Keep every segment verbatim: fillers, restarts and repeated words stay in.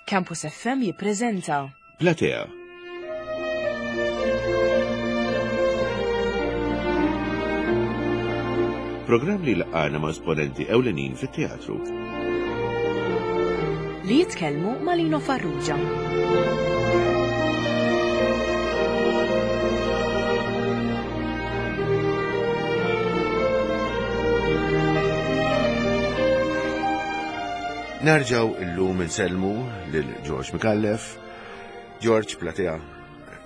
Campus F M jippreżenta Platea. Programm li laqana ma' esponenti ewlenin fit-teatru. Li jitkellmu ma' Lino Farrugia. Nerġaw illum insellmu lil George Micallef. George, Platea,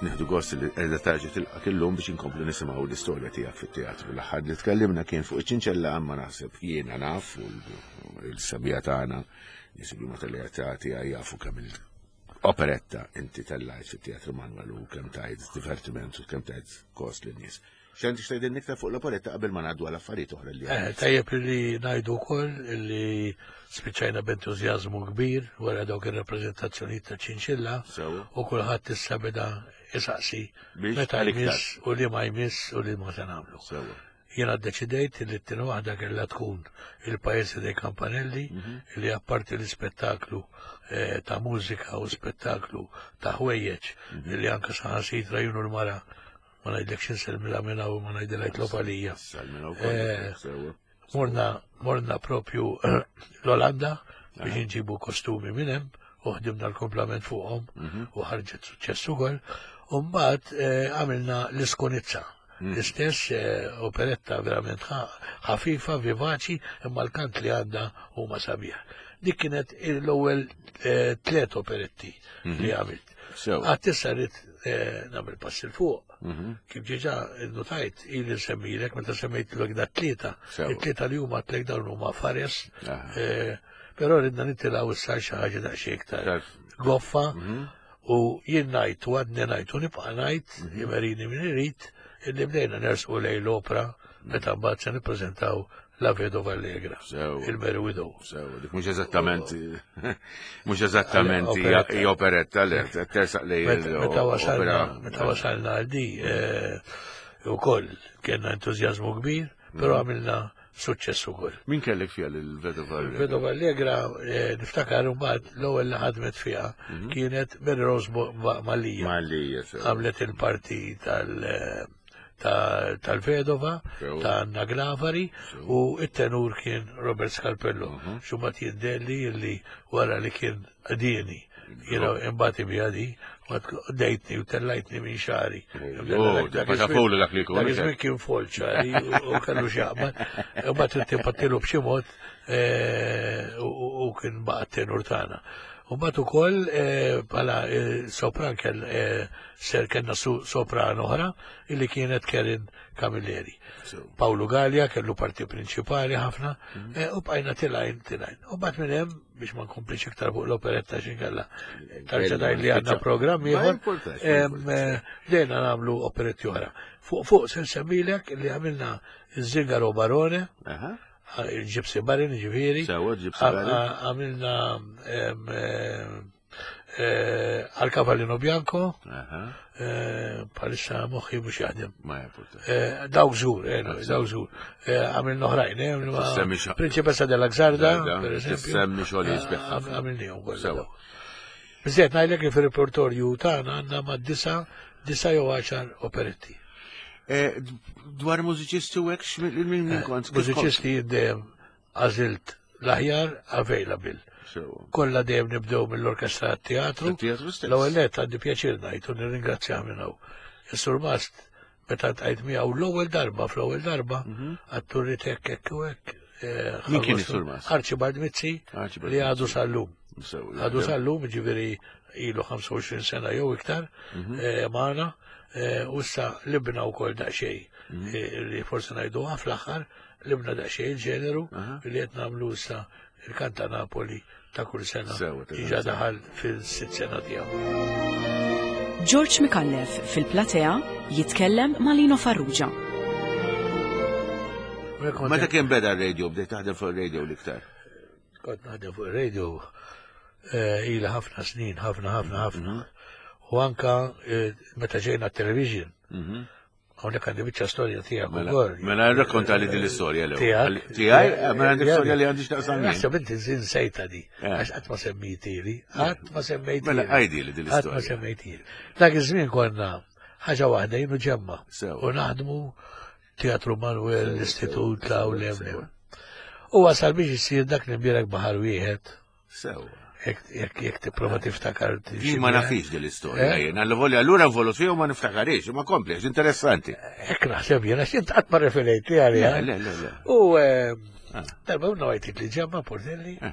nieħdu gost li qiegħda tarġa' tilqak illum biex inkomplu nisimgħu l-istorja tiegħek fit-teatru. L-aħħar li tkellimna kien fuq iċ-Ċinċella, imma naħseb jiena naf u l-sabija tagħna nies li huma tal-età jafu kemm il-operetta inti tellajt fit-Teatru Manuel u kemm tajt divertiment u kemm tajt kost lin-nies. X'għandek x'tgħidilna iktar fuq l-operetta qabel ma ngħaddu għal affarijiet oħra li Eh, tajjeb li ngħidu wkoll li spiċċajna b'entużjażmu kbir wara dawk ir-rappreżentazzjonijiet ta' Ċinċilla Sewa. U kulħadd issa beda isaqsi Biex meta għal iktar. jmiss u li ma jmiss u li ma se nagħmlu. Sewa. Jiena ddeċidejt li t-tieni waħda kellha tkun Il Paese dei Campanelli, li apparti l-ispettaklu eh, ta' mużika u spettaklu ta' ħwejjeġ li anka saħansitra jien u l-mara, ma ngħidlekx, insellmilha minn hawn u ma ngħidilha jitlob għalija. Salmina wkoll. Eh, Sewa. Morna, morna propju l-Olanda biex nġibu kostumi minn hemm u ħdimna l-komplament fuqhom u ħarġet suċċess ukoll. U mbagħad eh, għamilna l-Iskonizza. L-istess eh, operetta verament ħa- ħafifa, vivaċi, imma l-kant li għandha huma sabiħ. Dik kienet l-ewwel eh, tliet operetti li għamilt. Sewa. Għad issa rrid eh, nagħmel pass 'il fuq. Kif diġà notajt, ili nsemmilek, meta semmejt l da tlieta, Sewa. it-tlieta li huma tlek dawn huma fares, Aha. eh, però ridna nitilgħu issa xi ħaġa daqsxejn iktar Iktar. goffa u jien ngħid u għadni ngħid u nibqa' ngħid, imerini min irid, illi bdejna nersqu lejn l-opra meta mbagħad se nippreżentaw La Vedova Allegra, Sewa. il-Merry Widow. Sewa, dik mhux eżattament mhux eżattament hija Operetta. hija operetta li tersaq lej Meta meta wasalna, l-opera. meta wasalna għal di, eh, ukoll kellna entużjażmu kbir, però għamilna suċċess ukoll. Min kellek fiha l-Vedova? Vedova Allegra, eh, niftakar mbagħad l-ewwel li ħadmet fiha kienet Mary Rose Mo- Ma- Mallia. Malija, sewa. Għamlet il-parti tal- eh, ta- tal-Vedova, Sewa. ta' Anna Glavari, u it-tenur kien Robert Scarpello. Xumat jiddelli illi wara li kien għadieni. Jiena imbati bijadi, dejtni u tellajtni minn xari. Oh, dak fowlu dak li jkun, Dak hekk. iż-żmien kien fol ċari u u kellu x'jaqbad. Imbagħad intimpattilu b'xi mod eh, u u kien baqa' tenur tagħna. U mbagħad ukoll eh, bħala eh, sopran kell eh, ser kellna su- sopran oħra illi kienet Kerin Camilleri. Sewa. Paolo Gallia kellu parti prinċipali ħafna eh, u bqajna tilajn tilajn. U mbagħad minn hemm, biex ma nkomplix iktar fuq l-operetta x'inkella tarġa' ngħid li għandna programm Ma ieħor. importax, ma em, importax. eh, Bdejna nagħmlu operetti oħra. Fuq fuq se nsemmilek li għamilna Zingaro Barone, Aha. il-Gypsy Baron, ġifieri. Sewa, Gypsy Baron. Għamilna em, eh, eh, Al Cavallino Bianco, Aha. eh, bħalissa moħħi mhux jaħdem. Ma importax. Eh, Dawk żgur, eh, no, dawk żgur. Eh, Għamilna oħrajn, eh, għamilna Tissemmi xa- Principessa della Xarda, Zarda, per esempio. tissemmi xogħol jisbieħ Eh, ħafna. Għamilnihom kollha Sewa. dawk. Biżżejjed ngħidlek li fir-repertorju tagħna għandna ma' disa, disa jew għaxar operetti. Eh, Dwar mużiċisti u hekk x'min min min kont? Mużiċisti dejjem għażilt l-aħjar available. Sewa. Kollha dejjem nibdew mill-orkestra teatru. Teatru stess. L-ewwel nett għandi pjaċir ngħid u nirringrazzjah minn hawn. Is-Surmast meta tqajt miegħu l-ewwel darba fl-ewwel darba għattu rrid hekk hekk u hekk. eh, Min kien ħallu- is-Surmast? Archibald Mizzi Archibald li għadu sal-lum. Sewa. Għadu sal-lum, ġifieri ilu ħamsa u għoxrin sena jew iktar eh, magħna eh, u issa libna wkoll daqsxejn eh, li forsi ngħidu fl-aħħar libna daqsxejn il-ġeneru li qed nagħmlu issa il-Kanta Napoli ta' kull sena Sewa, ta' diġà daħal fil-sitt sena tiegħu. George Micallef fil-Platea jitkellem ma' Lino Farrugia. Meta kien beda r-radio, bdejt taħdem fuq ir-radio l-iktar? Kont naħdem fuq ir-radio eh, ila ħafna snin, ħafna, ħafna, ħafna. U anka eh, meta ġejna television, Mhm. Hawnhekk għandi biċċa storja tiegħek Mela, ukoll. mela rrakkonta li din l-istorja l Tiegħek. Tiegħi, eh, mela għandi storja li għandi x'taqsam jien. Naħseb inti nsejta di. Eh. Għax qatt ma semmejtili, qatt ma semmejtili. Mela għajdi li din Qatt ma l-istorja. semmejtili. Dak iż-żmien konna ħaġa waħda jien u Ġemma. Sew. U naħdmu Teatru Manuel, Sew, l-Istitut, sew, law sew, lem sew. lem. U wasal biex isir dak li mbierek baħar wieħed, Sew. jekk jekk jekk tipprova tiftakar. Jien ma nafix din l-istorja Eh? jien. Alla volja allura involut fija u ma niftakarix, ma komplex, interessanti. Hekk naħseb jien, għax int qatt ma referejt li għaliha. Le, le, le, le. U eh, Ah. darba unna għajtit li Ġemma Portelli, Eh.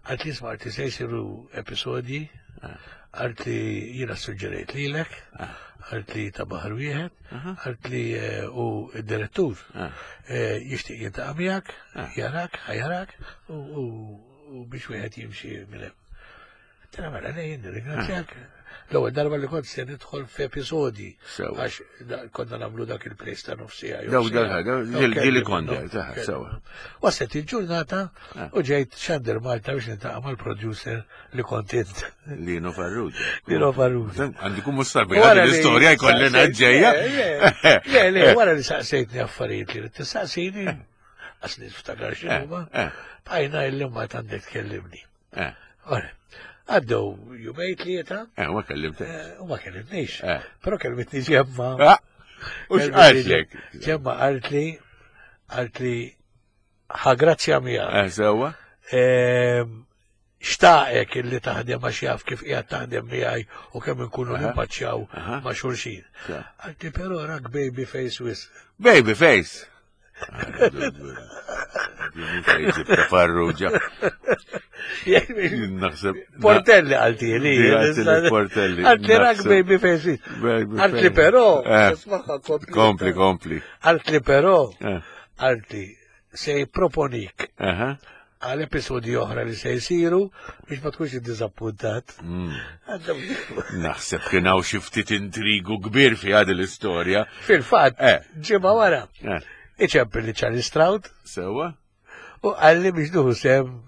għalt li smart li se jsiru episodji, Ah. għalt li jiena suġġerejt lilek, għalt li ta' baħar wieħed, għalt li eh, u d-direttur Ah. eh, jixtieq jiltaqa' miegħek, Ah. jarak, ħajarak, u- u u biex wieħed jimxi minn hemm. Tara mela lejn, nirringrazzjak. L-ewwel darba li kont se nidħol f'episodji Sewa. għax da- konna nagħmlu dak il-place ta' nofsija. jew Daw siegħa. dal- daw- Daw ġil- ġili kelli kont, minnhom, taħ, kelli sewa. minnhom. Waslet il-ġurnata Ah. u ġejt Xander Malta biex niltaqa' mal-producer li kont int. Lino Farrugia. Lino Farrugia. Għandi kum mustarbi, Wara għandi li l-istorja jkollina saqsejt- ġejja. Le, Le, le, wara li saqsejtni affarijiet li tistaqsini, għas niftakar x'inhuma, Eh, bqajna illi ma għandek tkellimni. eh, Ora, għaddew jumej tlieta eh, ma kellimtek. eh, u ma kellimnix. Eh. Però kelmitni Ġemma. Ah, U x'qaltlek? Ġemma qalt li qalt li ħa grazzja miegħek. Eh, sewa? Ehm, Xtaqek illi taħdem għax jaf kif qiegħed taħdem miegħi u kemm inkunu Aha. nimpaċċjaw Aha. ma' xulxin. Sewa. Għalti però rak baby face wis. Baby face. Ta' Farrugia. Naħseb. Portelli għalti li. Għalti li Portelli. Għalti rak Naħseb. baby face wis. Baby Għalti face. però, Eh, ismaħħa kompli. Kompli, kompli. Għalti però, Eh, għalti se jipproponik Aha. għal episodi oħra li se jsiru biex ma tkunx iddizappuntat. Mm. Għandhom- Naħseb kien hawn xi ftit intrigu kbir fi għad l-istorja. Fil-fatt, Eh. ġimgħa wara, Eh, iċempel li Charlie Stroud Sewa? u għalli biex nuhu sem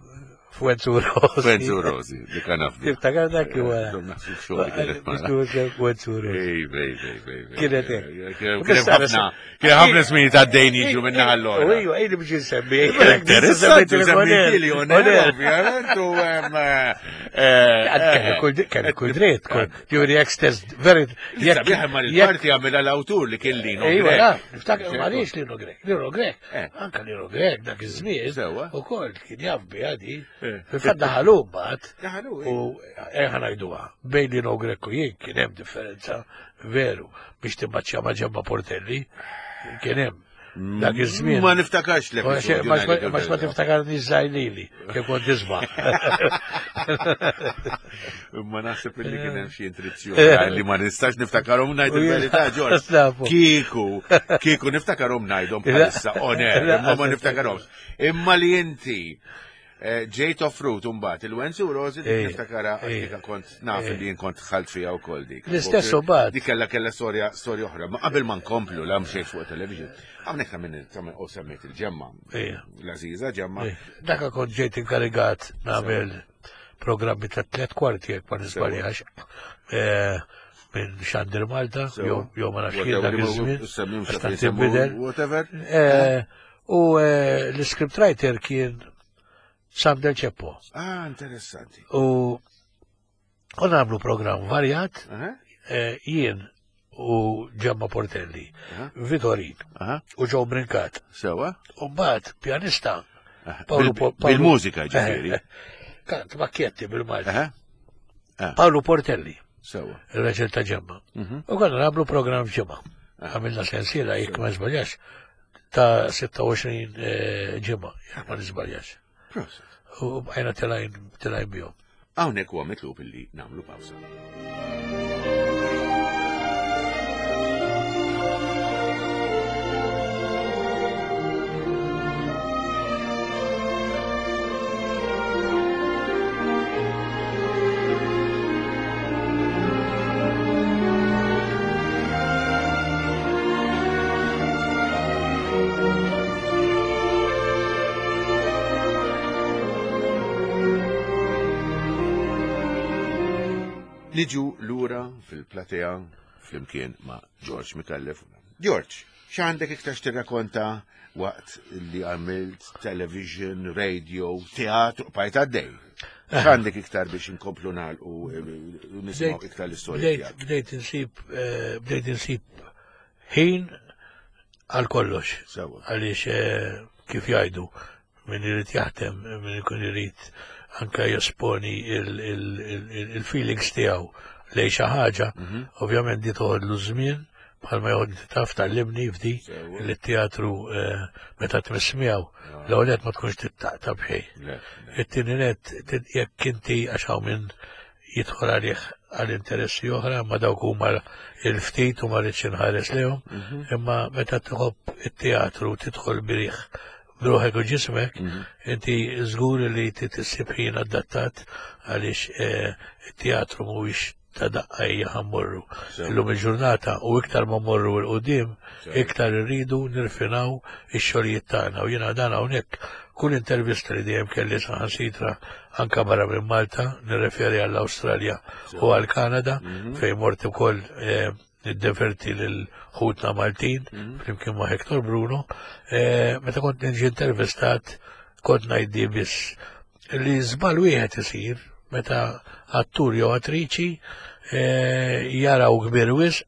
Fuenzu Rossi. Fenzu Rosi, dik naf. Tiftakar dak li wara. Naħseb xogħol kienet Biex mara. nuhu sem Fuenzu Rossi. Ej, ej, ej, ej, ej. Kienet hekk. Kien kien ħafna, kien ħafna żmien ta' dejn jiġu minna allora. U iju, ejni biex nsemmi. Interessanti, semmi li oner, ovvjament, u em, eh, Kelli kull dritt, ġuri jek stess, veri. Jekk ma l-parti għamela l-awtur li kien Lino. Ejwa, Grech. naf, niftakar, ma riex Lino Grek, Lino Grek, Eh. anka Lino Grek dak iż-żmien, Sewa. ukoll kien jaf bi għadi, Eh. fil-fatt daħalu mbagħad, Daħalu, u eħa ngħiduha, bejn Lino Grek u jien kien hemm differenza veru biex timmaċċja ma' Ġemma Portelli, kien hemm dak iż-żmien. Ma niftakarx Ma l-episodju. ma- ma ma tiftakarni żgħajlili, kif kont tisma'. Ma naħseb li kien hemm xi intrizzjoni li ma nistax niftakarhom ngħid il-verità, Ġorġ. Nafu. Kieku, kieku niftakarhom ngħidhom bħalissa on air, imma ma niftakarhomx. Imma li inti eh, ġejt offrut imbagħad il-Wenzu Rosi dik Ej, niftakara ej, għax kont naf ej. li jien kont ħalt fiha wkoll dik. L-istess imbagħad. Dik kellha kellha storja storja oħra, ma qabel ma nkomplu la mxejt fuq television. Hawnhekk ta' minn ta' minn u semmejt il-ġemma. Ej. L-Aziza ġemma. Daka kont ġejt inkarigat nagħmel programmi ta' tliet kwarti jekk ma nisbaljax. Eh, Minn Xandir Malta, Sewa. jew jew ma nafx kien dak iż-żmien. Semmim għax tant tinbidel. Whatever. Eh, U eh, l-script writer kien Sam Del Ceppo. Ah, interessanti. U u nagħmlu programm varjat, Aha, eh, jien u Ġemma Portelli, Aha. Vitorin aha, u Joe Brincat. sewa. U mbagħad pjanista Aha, Paolo bil- Po- Paolo- Bil-mużika ġifieri. Kant makkjetti bil-Malti. Aha, Paolo Portelli, sewa. il-raġel ta' Ġemma. Mhm. U konna nagħmlu programm ġimgħa. Għamilna sensiela jekk ma żbaljax ta' sitta u għoxrin eh, ġimgħa, jekk ma niżbaljax. Proset. U bqajna telajn telajn bihom. Hawnhekk huwa mitlub illi nagħmlu pawsa. Niġu lura fil-platea flimkien ma' George Micallef. George, x'għandek iktar x'tirrakkonta waqt li għamilt television, radio, teatru, bqajt għaddej? X'għandek iktar biex inkomplu nagħlqu eh, u nisimgħu iktar l-istorja Bdejt tiegħek? bdejt insib eh, bdejt insib ħin għal kollox. Sewa. Għaliex eh, kif jgħidu, min irid jaħdem, min ikun irid anka jesponi il-feelings tiegħu lejn xi ħaġa, Mhm. ovvjament di toħodlu żmien, bħalma joħod taf tgħallimni f'di Sewa. li t-teatru eh, meta tmiss miegħu l-ewwel nett ma tkunx tittaqta b'xejn. Le, le. It-tieni nett jekk inti għax hawn min jidħol għalih għal interessi oħra, ma dawk huma il-ftit u ma rridx inħares lejhom, Mhm. imma meta tħobb it-teatru tidħol bih b'ruħek u ġismek, Mhm. inti żgur li tissib ħin adattat għaliex eh, it-teatru mhuwiex ta' daqqa hija ħa mmorru. Sewa. Illum il-ġurnata u iktar ma mmorru 'l quddiem, Sewa. iktar irridu nirfinaw ix-xogħlijiet tagħna u jiena dan hawnhekk kull intervista li dejjem kelli saħansitra anka barra minn Malta, nirreferi għall-Awstralja u għall-Kanada fejn mort ukoll eh, niddeverti lil ħutna Maltin flimkien ma' Hector Bruno, eh, meta kont niġi intervistat kont ngħiddi biss li żball wieħed isir meta attur jew attriċi eh, jaraw kbir wisq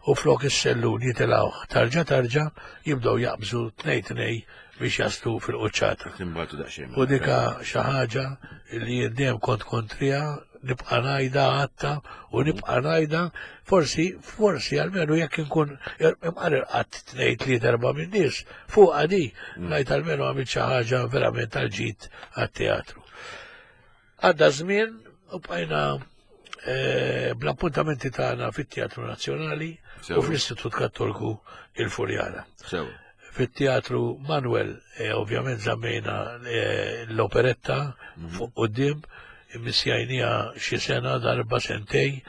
u flok is-sellun jitilgħu tarġa tarġa jibdew jaqbżu tnej tnej biex jaslu fil-quċċata. Timbatu daqsxejn. U dika xi ħaġa li jien dejjem kont kontrija nibqa' ngħidha għatta u nibqa' ngħidha forsi forsi almenu jekk inkun imqar irqatt tnejn tliet erba' minn nies fuq di ngħid almenu għamilt xi ħaġa verament tal-ġid għat-teatru. Għadda żmien u bqajna eh, bl-appuntamenti tagħna fit-Teatru Nazzjonali u Sewa. fl-Istitut Kattoliku il-Furjana. Sewa. Fit-Teatru Manuel, eh, ovvjament żammejna eh, l-operetta fuq quddiem, immissjajnieha xi sena darba sentej,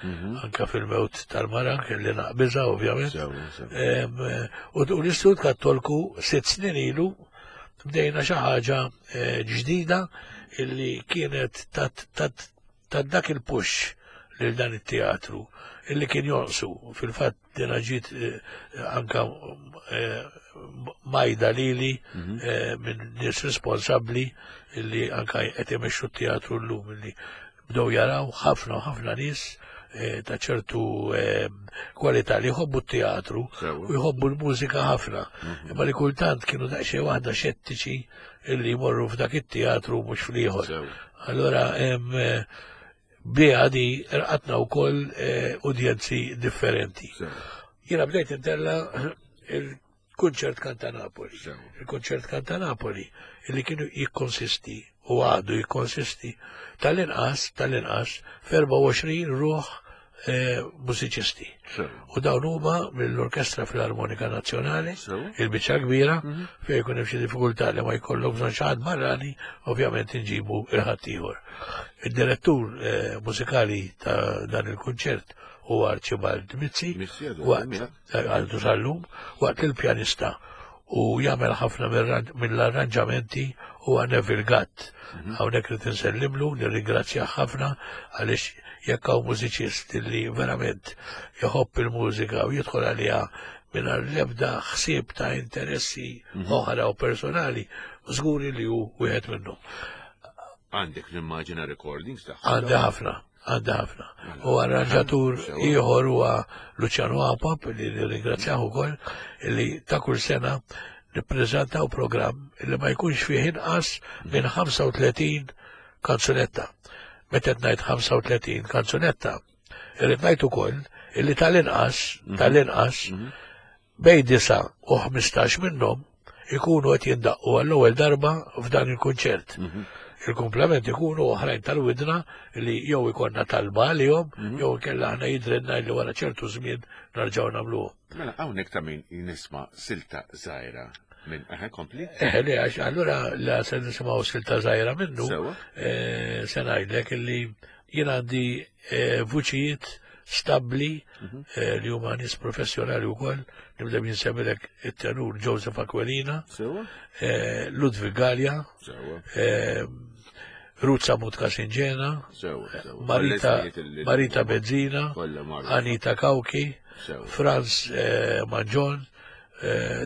anka fil-mewt tal-mara, kelli naqbiżha ovvjament. Sewa, sewa. Em, eh, U u l-Istitut Kattoliku sitt snin ilu bdejna xi ħaġa eh, ġdida illi kienet tat tat tat dak il-push lil dan it-teatru illi kien jonqsu. Fil-fatt dina ġiet eh, anka eh, majda lili eh, minn nies responsabbli illi anka qed imexxu t-teatru llum illi bdew jaraw ħafna u ħafna nies eh, ta' ċertu eh, kwalità li jħobbu t-teatru Sewa. u jħobbu l-mużika ħafna. Imma li kultant kienu daqsxejn waħda xettiċi illi jmorru f'dak it-teatru mhux fl-ieħor. Sewa. Allora hemm eh, biha di rqatna wkoll eh, udjenzi differenti. Sewa. Jiena bdejt intella il-kunċert Kanta Napoli. Sewa. Il-kunċert Kanta Napoli illi kienu jikkonsisti u għadu jikkonsisti tal-inqas tal-inqas f'erbgħa u għoxrin ruħ eh, mużiċisti. Sewa. U dawn huma mill-Orkestra Filarmonika Nazzjonali, Sewa. il-biċċa kbira, fejn jkun hemm xi diffikultà li ma jkollok bżonn xi ħadd barrani, ovvjament inġibu il-ħaddieħor. Id-direttur eh, mużikali ta' dan il-kunċert huwa Archibald Mizzi, Mizzi, għadu waqt għadu, għadu sal-lum, waqt il-pjanista u jagħmel ħafna mill-arranġamenti huwa Neville Gatt. Hawnhekk irid insellimlu, nirringrazzjah ħafna għaliex jekk hawn mużiċist li verament jħobb il-mużika u jidħol għaliha mingħajr l-ebda ħsieb ta' interessi oħra u personali, żguri li hu wieħed minnhom. Għandek l-immaġina recordings tagħha. Għandi ħafna, għandi ħafna. U arranġatur Sewa. ieħor huwa Luciano Apap li nirringrazzjah ukoll li ta' kull sena nippreżentaw programm li ma jkunx fih inqas minn ħamsa u tletin kanzunetta. Meta qed ngħid ħamsa u tletin kanzunetta, irrid ngħid ukoll illi tal-inqas, tal-inqas bejn disa u ħmistax minnhom ikunu qed jindaqqu għall-ewwel darba f'dan il-kunċert. Il-komplement ikunu oħrajn tal-widna li jew ikonna talba għalihom, jew inkella aħna jidrinna li wara ċertu żmien narġgħu nagħmluhom. Mela, hawnhekk ta' min nisma' silta żgħira minn eħe kompli. Eh, le, għax allura la se nisimgħu silta żgħira minnu, Sewa. eh, se ngħidlek illi jien għandi eh, vuċijiet stabbli eh, li huma nies professjonali wkoll, nibda insemmilek it-tenur Joseph Aquilina, Sewa. eh, Ludwig Gallia, Sewa. eh, Ruth Sammut Casingena, Sewa. Sewa. Marita, Kollha ismijiet li- Marita Bezzina, Kollha magħrufa. Anita Kauki, Sewa. Franz eh, Mangion,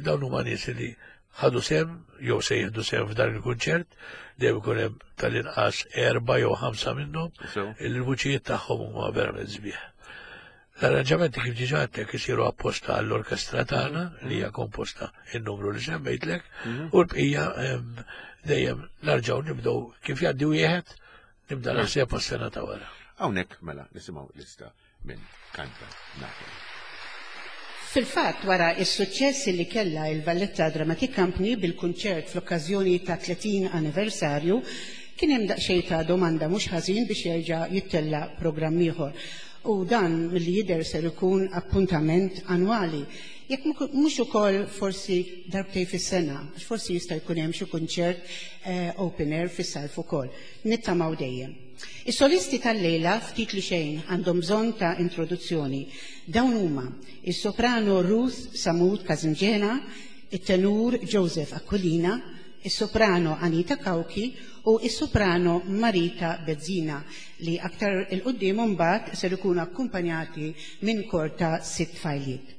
Dawn huma nies li ħadu sem, jew se jieħdu sem f'dan il-kunċert, dejjem ikun hemm tal-inqas erba' jew ħamsa minnhom, il-vuċijiet tagħhom huma verament sbieħ. L-arranġamenti kif diġà għedtlek isiru apposta għall-orkestra tagħna li hija komposta in-numru li semmejtlek, u l-bqija dejjem narġgħu nibdew kif jgħaddi wieħed nibda naħseb għas-sena ta' wara. Hawnhekk mela nisimgħu lista minn Kanta Napoli. Fil-fatt, wara is-suċċess li kellha il-Valletta Dramatic Company bil-kunċert fl-okkażjoni ta' tletin anniversarju, kien hemm daqsxejn ta' domanda mhux ħażin biex jerġa' jittella' programm ieħor. U dan milli jidher ser ikun appuntament annwali. Jekk mhux ukoll forsi darbtejn fis-sena, għax forsi jista' jkun hemm xi kunċert open air fis-sajf ukoll. Nittamaw dejjem. Is-solisti tal-lejla ftit li xejn għandhom bżonn ta' introduzzjoni. Dawn huma is-soprano Ruth Samut Kazimġena, it-tenur Joseph Aquilina, is-soprano Anita Cauchi u is-soprano Marita Bezzina li aktar il-qudiem mbagħad ser ikunu akkumpanjati minn kor ta' sitt tfajliet.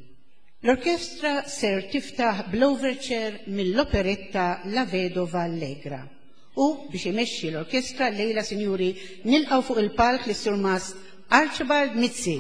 L-orkestra ser tiftaħ bl-overture mill-operetta La Vedova Allegra. U biex imexxi l-orkestra lejla, sinjuri, nilqgħu fuq il-palk lis-Surmast Archibald Mizzi.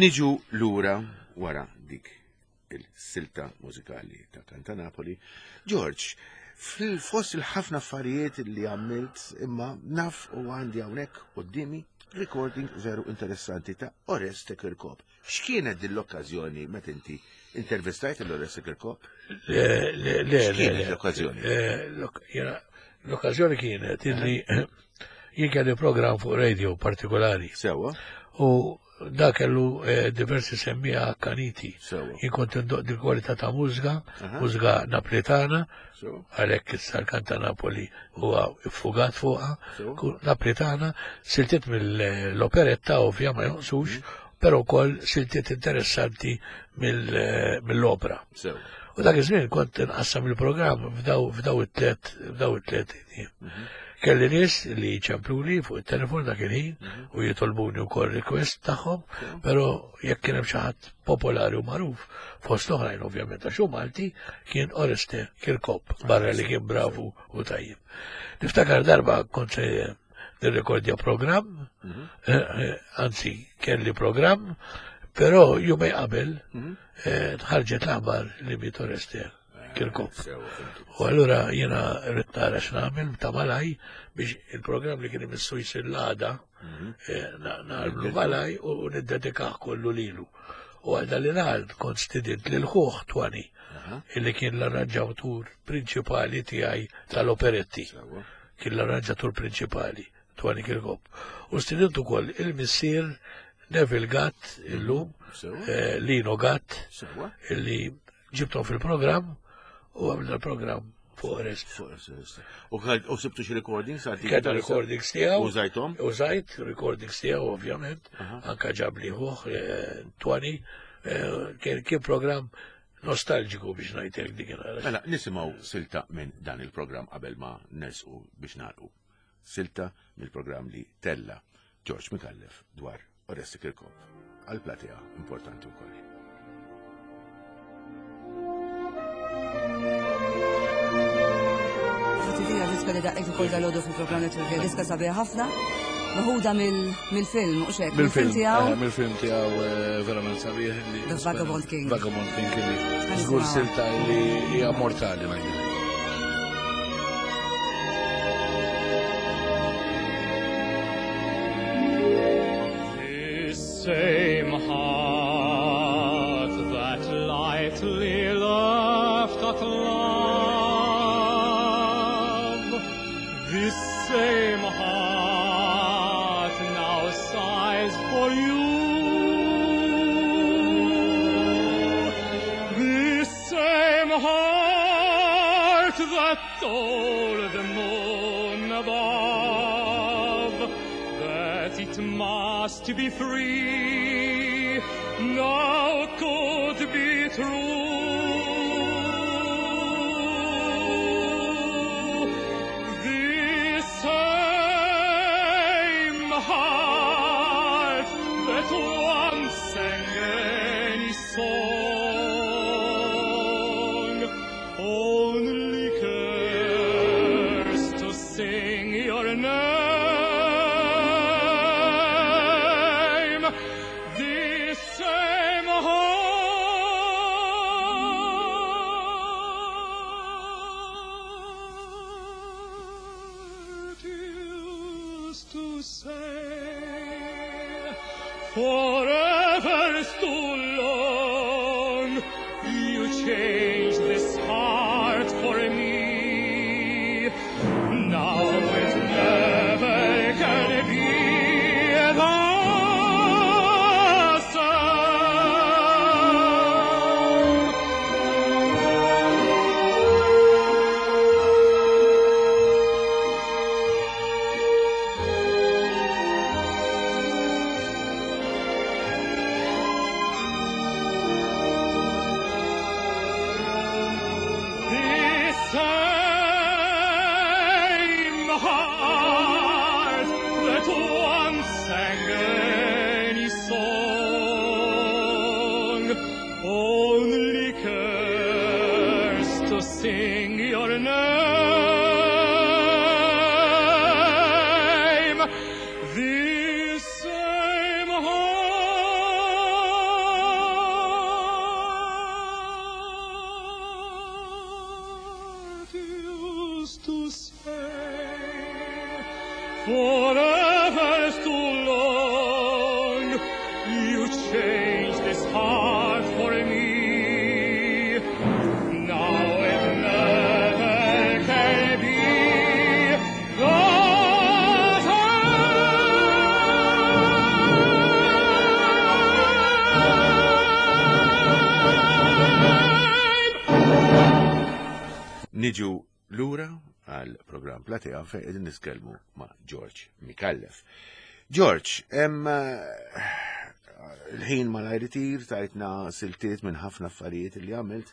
Niġu lura wara dik il-silta mużikali ta' Kanta Napoli. George, fil-fost il-ħafna affarijiet li għamilt imma naf u għandi hawnhekk qudiemi recording veru interessanti ta' Oreste Kirkop. X'kienet din l-okkażjoni meta inti intervistajt l-Oreste Kirkop? Le, le, le. X'kienet l-okkażjoni? L-okkażjoni kienet illi jien kelli programm fuq radio partikolari. Sewa. U da kellu diversi semmija akkaniti. Jien kont indoq di kwalità ta' mużika, mużika naplitana, għalhekk issa l-Kanta Napoli huwa iffugat fuqha, naplitana, siltiet mill-operetta ovvja ma jonqsux, però wkoll siltiet interessanti mill-opera. U dak iż-żmien kont inqassam il-programm f'daw it-tliet f'daw it-tliet. Kelli nies li ċempluli fuq it-telefon dak il-ħin u jitolbuni wkoll request tagħhom, però jekk kien hemm xi ħadd popolari u magħruf fost oħrajn ovvjament għax hu Malti kien Oreste Kirkop, barra li kien bravu u tajjeb. Niftakar darba kont se nirrekordja programm, anzi kelli programm, però jumej qabel ħarġet l-aħbar li miet Oreste Kirkop. U allura jiena rrid nara x'nagħmel ta' malaj biex il-programm li kien imissu jsir l-għada nagħmlu malaj u niddedikah kollu lilu. U għal dan li kont stidint lil ħuh Twani, illi kien l-arranġatur prinċipali tiegħi tal-operetti. Kien l-arranġatur prinċipali, Twani Kirkop. U stidint ukoll il-missier Neville Gatt illum, Lino Gatt, illi ġibtom fil-programm u għamilna l-programm fuq Oreste. U sibtu xi recordings? Kellna recordings tiegħu. Użajthom? Użajt recordings tiegħu ovvjament, anka ġabli ħuh Twani, kien programm nostalġiku biex ngħidlek dik il-ħara. Mela, nisimgħu silta minn dan il-programm qabel ma nersqu biex nagħlqu. Silta mill-programm li tella George Micallef dwar Oresti Kirkop għal platea importanti wkoll. Tifija diska li daqqejt ukoll dal-għodu fil-programm Network, diska sabiħa ħafna, meħuda mill-film, u xek, mill-film tiegħu. Mill-film tiegħu verament sabiħ. The Vagabond King. Vagabond King li żgur silta li hija mortali ngħidilek. This same heart that lightly laughed at love, this same heart now sighs for you. This same heart that told the moon above that it must be free, now could be true. This same heart that once sang any song only cares to sing your name. This same heart used to say, forever's too long, you changed this heart for me. Now it never can be the same. This same heart that once sang any song only cares to sing your name. This same heart used to say, forever's too long, you changed this heart for me. Now it never can be the same. Niġu lura għal program Platea fejn qegħdin nitkellmu ma' George Micallef. George, hemm il-ħin malajr itir tajtna siltiet minn ħafna affarijiet li għamilt.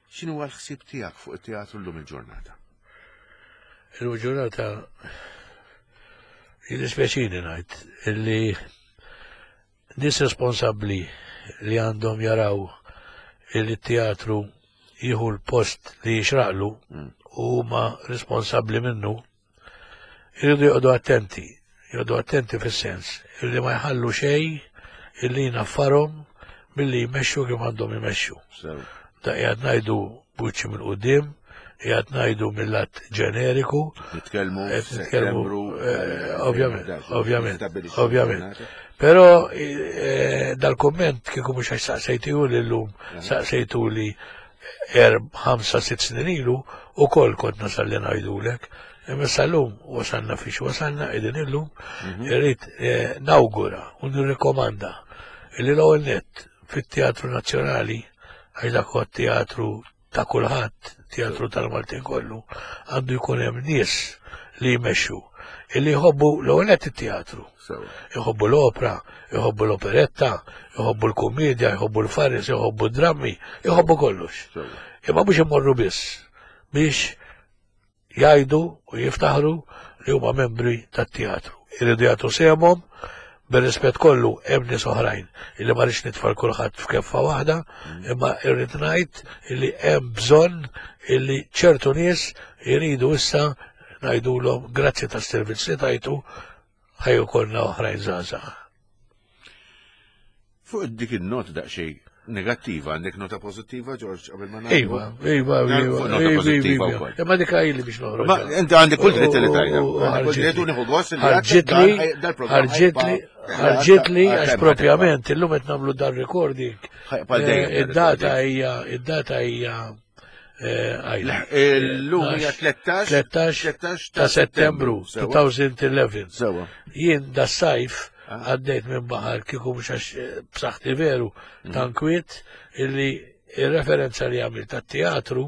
X'inhu l-ħsieb tiegħek fuq it-teatru llum il-ġurnata? Il-ġurnata jiddispjaċini ngħid illi nies responsabbli li għandhom jaraw illi t-teatru jieħu l-post li jixraqlu u huma responsabbli minnu, irridu joqogħdu attenti, joqogħdu attenti fis-sens illi ma jħallu xejn illi jnaffarhom milli jmexxu kif għandhom jmexxu. Da qiegħed ngħidu buċċi minn quddiem, qiegħed ngħidu mill-lat ġeneriku, Nitkellmu qed nitkellmu f'Settembru, eh, ovvjament, ovvjament, stabbilixxi ovvjament. l-ġurnata. Però eh, dal-komment kieku mhux għax saqsejtu li llum, saqsejtu li erb, ħamsa, sitt snin ilu, u kol kont nasal li ngħidulek. Imma sal-lum wasalna fiex wasalna, qegħdin illum, irrid eh, nawgura u nirrikomanda illi l-ewwel nett fit-Teatru Nazzjonali, għax dak huwa teatru ta' kulħadd, teatru tal-Maltin kollu, għandu jkun hemm nies li jmexxu, illi jħobbu l-ewwel nett it-teatru. Jħobbu l-opera, jħobbu l-operetta, jħobbu l-komedja, jħobbu l-faris, jħobbu d-drammi, jħobbu kollox. Imma mhux imorru biss biex jgħidu u jiftaħru li huma membri tat-teatru. Iridu jagħtu sehemhom Bir-rispett kollu hemm nies oħrajn illi ma rridx nitfa' kulħadd f'keffa waħda, imma irrid ngħid illi hemm bżonn illi ċertu nies iridu issa ngħidulhom grazzi tas-servizz li tajtu ħa jkollna oħrajn żgħażagħ. Fuq dik il-nota daqsxejn negattiva, għandek nota pozittiva, George, qabel ma nagħlqu? Iva, iva, iva, Nota iva, pozittiva iva. wkoll. Imma dik ili biex noħroġ. Ma inti għandek kull dritt li tajna. U- u- Għandek kull dritt u nieħu gost li ħarġitli, għandek dal-programm ħarġitli, ħajba- ħarġitli ħajba- għax propjament illum qed nagħmlu dan recording. Ħajba dejjem Eh, dan Id-data recording. hija, id-data hija eh, għajda. Illum hija tlettax tlettax ta' Settembru Sewa. elfejn u għaxra. Sewa. Jien da sajf għaddejt minn baħar kieku mhux għax eh, b'saħħti veru tankwiet illi il-referenza li għamilt tat-teatru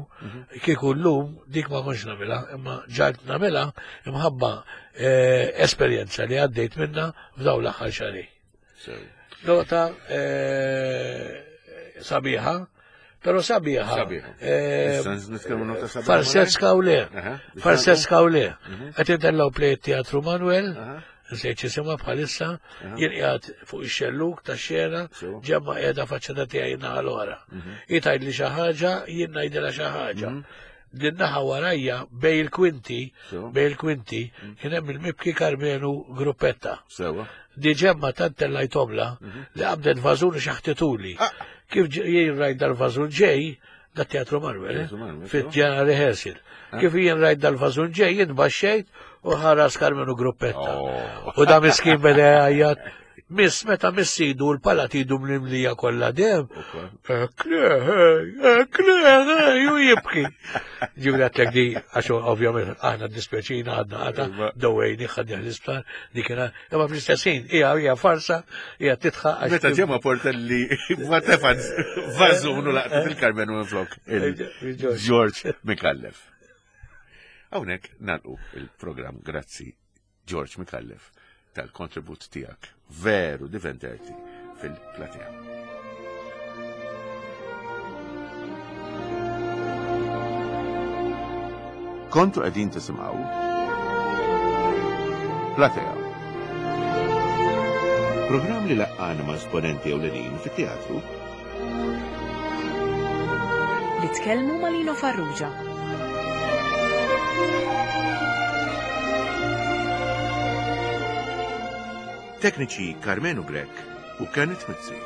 kieku llum dik ma kontx nagħmilha, imma ġalt nagħmilha imħabba eh, esperjenza li għaddejt minna f'dawn l-aħħar xahar. Sewa. Nota eh, sabiħa, pero sabiħa. Sabiħa. eh, Issa nitkellmu nota sabiħa. Farsetska u le. Aha. Farsetska u le. Qed intellaw play teatru Manuel, Aha. nsejt jisimha bħalissa, jien qiegħed fuq ix-xelluk tax-xena, Sewa. ġemma qiegħda faċċata tiegħi naħa l-oħra. Hi tgħidli xi ħaġa, jien ngħidilha xi ħaġa. Din naħa warajja bej il-kwinti, Sewa. bej il-kwinti, kien hemm il-mibki Karmenu Gruppetta. Sewa. Di ġemma tant tellajtomla li qabdet vażun xaħtituli. Kif ġ- jien rajt dal-vażun ġej, da teatru Manuel, eh? Teatru Manuel, fit-ġena rehearsal. Kif jien rajt dal-vażun ġej, jien baxxejt u ħaras Karmenu Gruppetta. Oh. U da miskin beda jgħajjat, miss meta missidu l-palat idu mlimlija kollha dem. Ekle, ju jibki. Ġifieri għedtlek di, għax ovvjament aħna dispjaċina għadna għata, dowejni ħadni l-isptar, dik kien imma fl-istess ħin hija hija farsa, hija titħaq għax Meta ġemma Portelli ma tefan vażun u laqtet il-Karmenu minn flok il-George Micallef. Hawnhekk nagħlqu il-programm grazzi George Micallef tal-kontribut tiegħek veru divertenti fil-platea. Kontu qegħdin tisimgħu Platea. Programm li laqqana ma' esponenti ewlenin fit-teatru Li tkellmu ma' Lino Farrugia. Tekniċi Karmenu Grech u Kenneth Mizzi.